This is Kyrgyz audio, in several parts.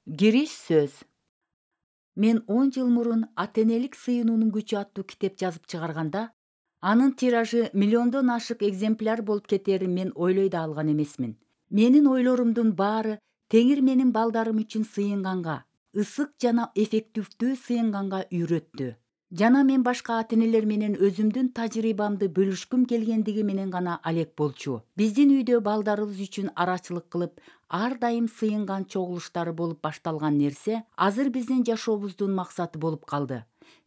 Кириш сөз. Мен 10 жыл мурун ата-энелик сыйынуунун күчү аттуу китеп жазып чыгарганда, анын тиражы миллиондон ашык экземпляр болуп кетерин мен ойлой да алган эмесмин. Менин ойлорумдун баары Теңир менин балдарым үчүн сыйынганга, ысык жана эффективдүү сыйынганга үйрөттү. Жана мен башка ата-энелер менен өзүмдүн тажрыйбамды бөлүшкүм келгендиги менен гана алек болчу. Биздин үйдө балдарыбыз үчүн арачылык кылып, ар дайым сыйынган чогулуштары болуп башталган нерсе азыр биздин жашообуздун максаты болуп калды.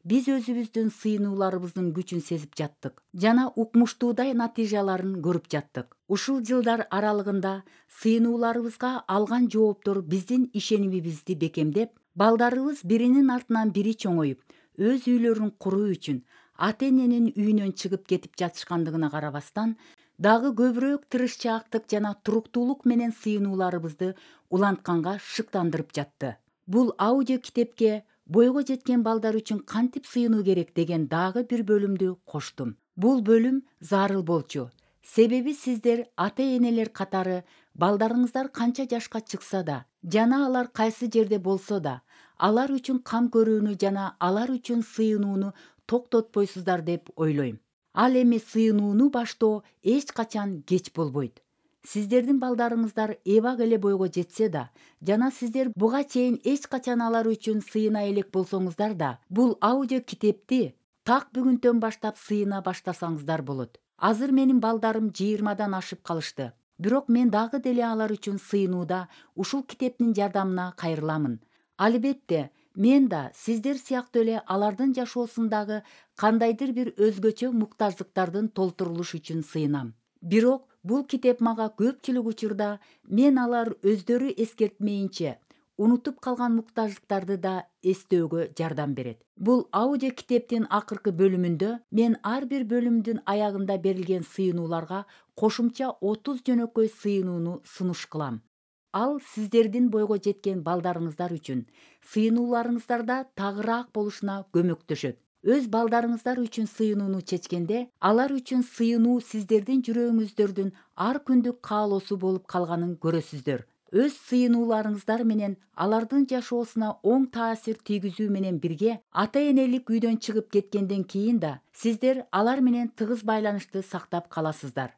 Биз өзүбүздүн сыйынууларыбыздын күчүн сезип жаттык жана укмуштуудай натыйжаларын көрүп жаттык. Ушул жылдар аралыгында сыйынууларыбызга алган жооптор биздин ишенимибизди бекемдеп, балдарыбыз биринин артынан бири чоңоюп, өз үйлөрүн куруу үчүн ата-эненин үйүнөн чыгып кетип жатышкандыгына карабастан, дагы көбүрөөк тырышчаактык жана туруктуулук менен сыйынууларыбызды улантканга шыктандырып жатты. Бул аудио китепке бойго жеткен балдар үчүн кантип сыйынуу керек деген дагы бир бөлүмдү коштум. Бул бөлүм зарыл болчу. Себеби сиздер ата-энелер катары балдарыңыздар канча жашка чыкса да жана алар кайсы жерде болсо да, алар үчүн кам көрүүнү жана алар үчүн сыйынууну токтотпойсуздар деп ойлойм. Ал эми сыйынууну баштоо эч качан кеч болбойт. Сиздердин балдарыңыздар эбак эле бойго жетсе да жана сиздер буга чейин эч качан алар үчүн сыйына элек болсоңуздар да, бул аудио китепти так бүгүнтөн баштап сыйына баштасаңыздар болот. Азыр менин балдарым 20-дан ашып калышты. Бирок мен дагы деле алар үчүн сыйынууда ушул китептин жардамына кайрыламын. Албетте, мен да сиздер сыяктуу эле алардын жашоосундагы кандайдыр бир өзгөчө муктаждыктардын толтурулушу үчүн сыйынам. Бирок бул китеп мага көпчүлүк учурда мен алар өздөрү эскертмейинче унутуп калган муктаждыктарды да эстөөгө жардам берет. Бул аудио китептин акыркы бөлүмүндө мен ар бир бөлүмдүн аягында берилген сыйынууларга кошумча 30 жөнөкөй сыйынууну сунуш кылам. Ал сиздердин бойго жеткен балдарыңыздар үчүн сыйынууларыңыздарда тагыраак болушуна көмөктөшөт. Өз балдарыңыздар үчүн сыйынууну чечкенде, алар үчүн сыйынуу сиздердин жүрөгүңүздөрдүн ар күндүк каалоосу болуп калганын көрөсүздөр. Өз сыйынууларыңыздар менен алардын жашоосуна оң таасир тийгизүү менен бирге, ата-энелик үйдөн чыгып кеткенден кийин да сиздер алар менен тыгыз байланышты сактап каласыздар.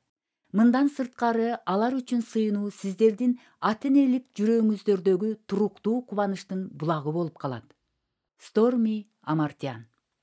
Мындан сырткары, алар үчүн сыйынуу сиздердин ата-энелик жүрөгүңүздөрдөгү туруктуу кубанычтын булагы болуп калат. Stormy Amartyan.